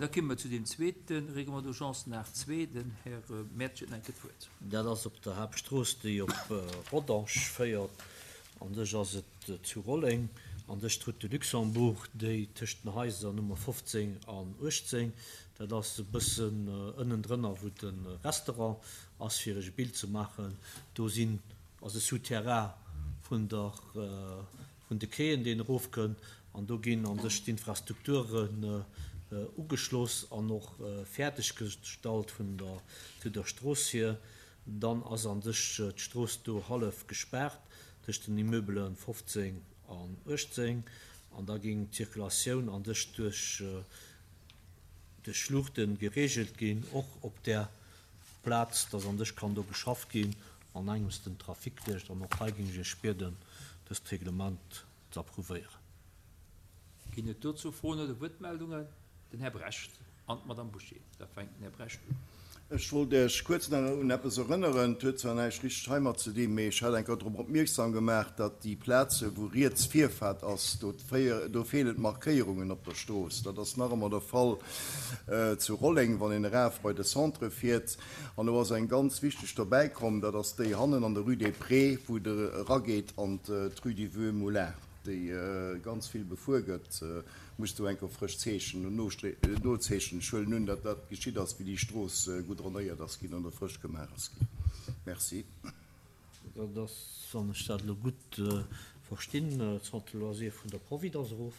Da komme mer zu deem zweete Règlement d'urgence, den 8.2. Den Här Mertsch huet nach eng Kéier d'Wuert. Dat ass op der Haaptstrooss, déi op Rodange féiert. An sech ass et zu Rolleng, an sech d'Route de Luxembourg, déi tëscht den Haiser Nummer 15 an 18, dat ass e bëssen ënnendrënner, wou de Restaurant ass, fir Iech e Bild ze maachen, do sinn, ass e Souterrain vun der, vun de Quaien, deen erofkënnt, an do ginn an sech d'Infrastrukturen ugeschloss an och fäerdeg gestallt vun der, zu der Strooss hier. Dann ass an sech d'Strooss do hallef gespaart tëscht den Immeubele 15 an 18 an da géing d'Circulatioun an sech duerch duerch Luuchte gereegelt ginn, och op där Plaz, dass an sech kann do geschafft ginn an engems den Trafic duerch. An och hei géing ech Iech bieden, dëst Reglement ze approuvéieren. Ginn et dozou Froen oder Wuertmeldungen? Den Här Brecht an d'Madame Bouché. Da fänkt den Här Brecht un. Ech wollt Iech kuerz nach un eppes erënneren. Et huet zwar näischt richteg heimat ze dinn, mee ech hat eng Kéier drop opmierksam gemaach, datt déi Plaze wou riets Virfaart ass, do do feelen d'Markéierungen op der Strooss. Dat ass nach ëmmer de Fall zu Rolleng, wann een eraf bei de Centre fiert. An do ass eng ganz wichteg dobäi komm, dat ass déi hannen an der Rue des Prés, wou et erageet an d'Rue du Vieux Moulin, déi ganz vill befuer gëtt. Muss do enker frësch zeechnen und nozeechnen. Ech huelen un, datt dat geschitt ass, wéi déi Strooss goudronnéiert ass ginn oder frësch gemaach ass ginn. Merci. Dat ass, wann ech dat elo gutt verstinn, d'Centre loisirs vun der Providence erof?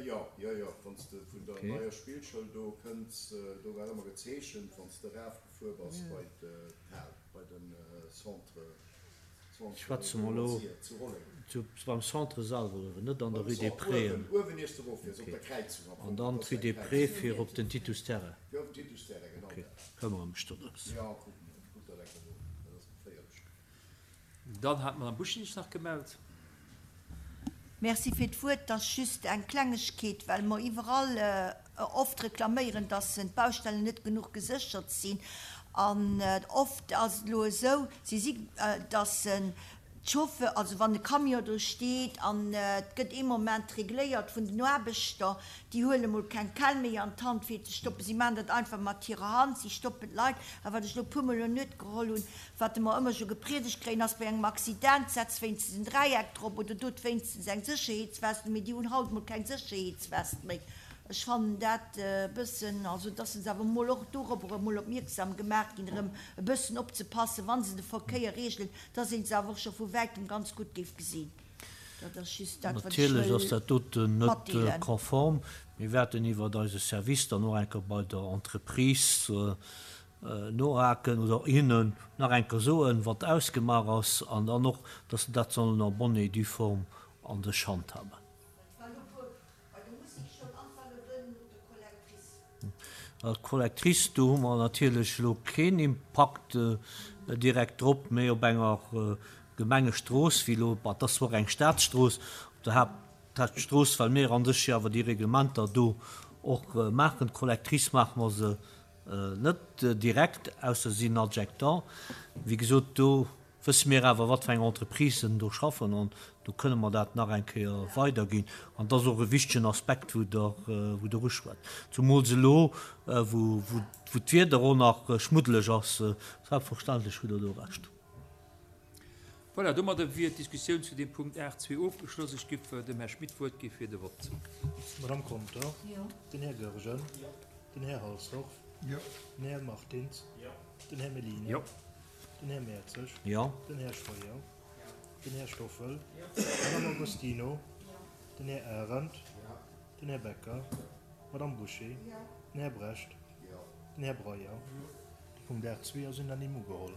Jo, jo, jo. Wann s de vun der neier Spillschoul do kënns, do war ëmmer gezeechent, wann s de erafgefuer bass bei d'Hal, bei de Centre. Schwätze mer elo beim Centre selwer uewen, net an der Rue des Prés. An dann d'Rue des Prés fir op den Titus Terrain. Ok, këmmere mech dorëms. Dann hat d'Madame Buschinich sech nach gemellt. Merci fir d'Wuert. Et ass just eng Klengegkeet, well mer iwwerall oft reklaméieren, dass d'Baustellen net genuch geséchert sinn. An oft ass et elo esou, si si, dass d'Chauffeur, also wann e Camion do steet an et gëtt ee Moment regléiert vun den Aarbechter, déi huele mol keng Kell méi an d'Hand fir ze stoppen, si maachen dat einfach mat hirer Hand, si stoppen d'Leit. A wat ech elo e puermol un Nuet geholl hunn, Wat mer ëmmer scho gepriedegt kréien ass, bei engem Accident, setz wéinstens en Dräieck drop oder dot wéinstens eng Sécherheetswest un. Mee déi hunn haut mol keng Sécherheetswest méi. Ech fannen dat e bëssen, also dass se awer mol och dorobber emol opmierksam gemaach ginn, erëm e bëssen opzepassen, wa se de Verkéier reegelen, dass ee se awer och scho vu wäitem ganz gutt géif gesinn. Dat ass just dat, wat ech Natierlech ass wëll dat doten net matdeelen. konform. Mir wäerten iwwert eise Service dann och eng Kéier bei der Entreprise nohaken oder hinnen nach eng Kéier soen, wat ausgemaach ass, an dann och, dass se dat sollen en bonne et due forme an sech handhaben. D'Collectrice, do hu mer natierlech elo keen Impakt direkt drop, mee op enger Gemengestrooss, wéi elo, bah, et ass zwar och eng Staatsstrooss, op der Haaptstrooss, well mir an sech jo awer déi Reglementer do och maachen, d'Collectrice maache mer se Net direkt, ausser se sinn Adjectant. Wéi gesot, do wësse mir awer, wat fir eng Entreprisen do schaffen, an do kënne mer dat nach eng Kéier weiderginn. An dat ass och e wichtegen Aspekt, wou Der, wou Der uschwätzt. Zumools elo, wou, wou d'Wieder och nach schmuddeleg ass. Selbstverständlech hutt Der do Recht. Voilà, domadder wier d'Diskussioun zu deem Punkt 8 zwee ofgeschloss. Ech giff dem Här Schmit d'Wuert gi fir de Vott. D'Madame Conter, den Här Goergen, den Här Halsdorf, den Här Martins, den Här Mellina, den Här Mertzig, den Här Scheuer, den Här Stoffel, d'Madame Agostino, den Här Arendt, den Här Becker, d'Madame Bouché, den Här Brecht, den Här Breyer. De Punkt 8 zwee ass unanime ugeholl.